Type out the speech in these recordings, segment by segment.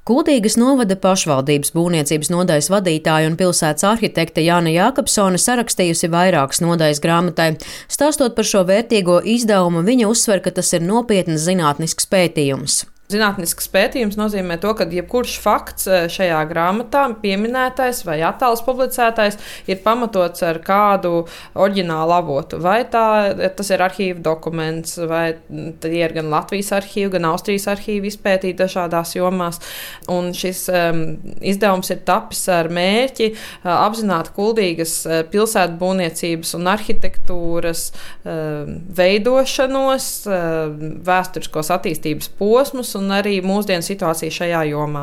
Kuldīgas novada pašvaldības būvniecības nodaļas vadītāja un pilsētas arhitekte Jāna Jākapsone sarakstījusi vairākas nodaļas grāmatai. Stāstot par šo vērtīgo izdevumu, viņa uzsver, ka tas ir nopietns zinātnisks pētījums. Zinātnisks pētījums nozīmē to, ka jebkurš fakts šajā grāmatā, pieminētais vai attēls publicētais, ir pamatots ar kādu oriģinālu avotu. Vai tas ir arhīva dokuments, vai tie ir gan Latvijas arhīva, gan Austrijas arhīva izpētīti dažādās jomās. Un šis izdevums ir tapis ar mērķi apzināt Kuldīgas pilsētu būvniecības un arhitektūras veidošanos, vēsturiskos attīstības posmus un arī mūsdienu situāciju šajā jomā.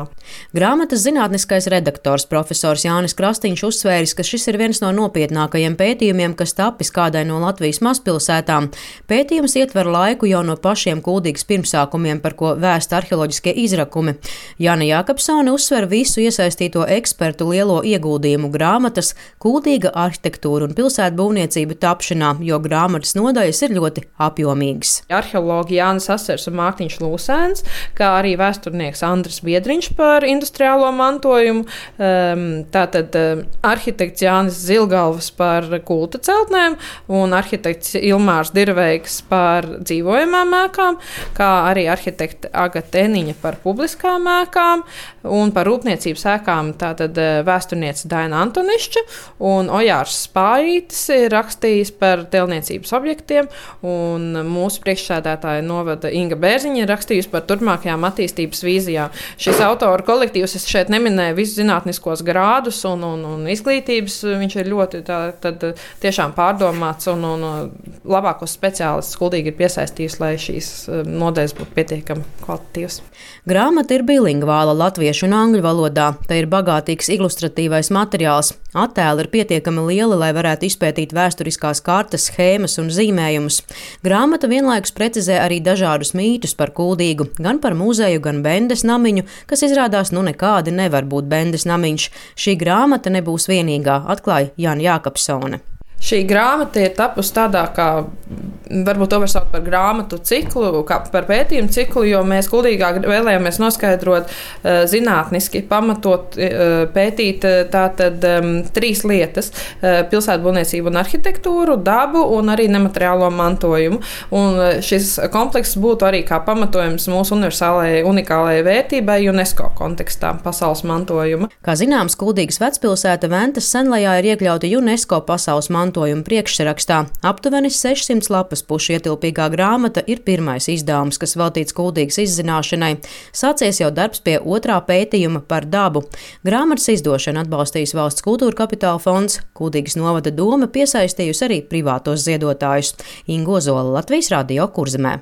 Grāmatas zinātniskais redaktors profesors Jānis Krastīņš uzsvēris, ka šis ir viens no nopietnākajiem pētījumiem, kas tapis kādai no Latvijas mazpilsētām. Pētījums ietver laiku jau no pašiem Kuldīgas pirmsākumiem, par ko vēsta arheoloģiskie izrakumi. Jāna Jākapsone uzsver visu iesaistīto ekspertu lielo ieguldījumu grāmatas, Kuldīga arhitektūra un pilsētu būvniecība tapšanā, jo grāmatas nodaļas ir ļoti apjomīgas. Arheologi Jānis Asers un Mārtiņš Lūsēns, kā arī vēsturnieks Andris Biedriņš par industriālo mantojumu, tātad arhitekts Jānis Zilgalvs par kulta celtnēm un arhitekts Ilmārs Dirveigs par dzīvojamām ēkām, kā arī arhitekte Agata Eniņa par publiskām ēkām un par rūpniecības ēkām, tātad vēsturniece Daina Antonišķa un Ojārs Spājītis ir rakstījis par telniecības objektiem un mūsu priekšsēdētāja novada Inga Bērziņa ir rakstījusi par turpmākajām attīstības vīzijām. Šis autoru kolektīvs, es šeit neminēju visus zinātniskos grādus un izglītības, viņš ir ļoti tiešām pārdomāts un labākos speciālistus Kuldīga ir piesaistījusi, lai šīs nodaļas būtu pietiekami kvalitatīvas. Grāmata ir bilingvāla latviešu un angļu valodā. Te ir bagātīgs ilustratīvais materiāls. Attēli ir pietiekami lieli, lai varētu izpētīt vēsturiskās kartes, schēmas un zīmējumus. Grāmata vienlaikus precizē arī dažādus mītus par Kuldīgu, gan par muzeju, gan Bendes namiņu, kas izrādās nekādi nevar būt Bendes namiņš. Šī grāmata nebūs vienīgā, atklāja Jāna Jākapsone. Šī grāmata ir tapusi tādā, kā varbūt to var saukt par grāmatu ciklu, kā par pētījumu ciklu, jo mēs Kuldīgā vēlējāmies noskaidrot zinātniski, pamatot, pētīt tātad trīs lietas - pilsētu būvniecību un arhitektūru, dabu un arī nemateriālo mantojumu. Un šis komplekss būtu arī kā pamatojums mūsu universālajai, unikālajai vērtībai UNESCO kontekstā pasaules mantojuma. Kā zināms, Kuldīgas vecpilsēta Ventas Senlajā ir iekļauta UNESCO pasaules mantojuma priekšsarakstā. Aptuveni 600 lapas pušu ietilpīgā grāmata ir pirmais izdevums, kas veltīts Kuldīgas izzināšanai. Sācies jau darbs pie otrā pētījuma par dabu. Grāmatas izdošanu atbalstījis Valsts kultūra kapitāla fonds, Kuldīgas novada doma piesaistījusi arī privātos ziedotājus. Inga Ozola, Latvijas Radio Kurzemē.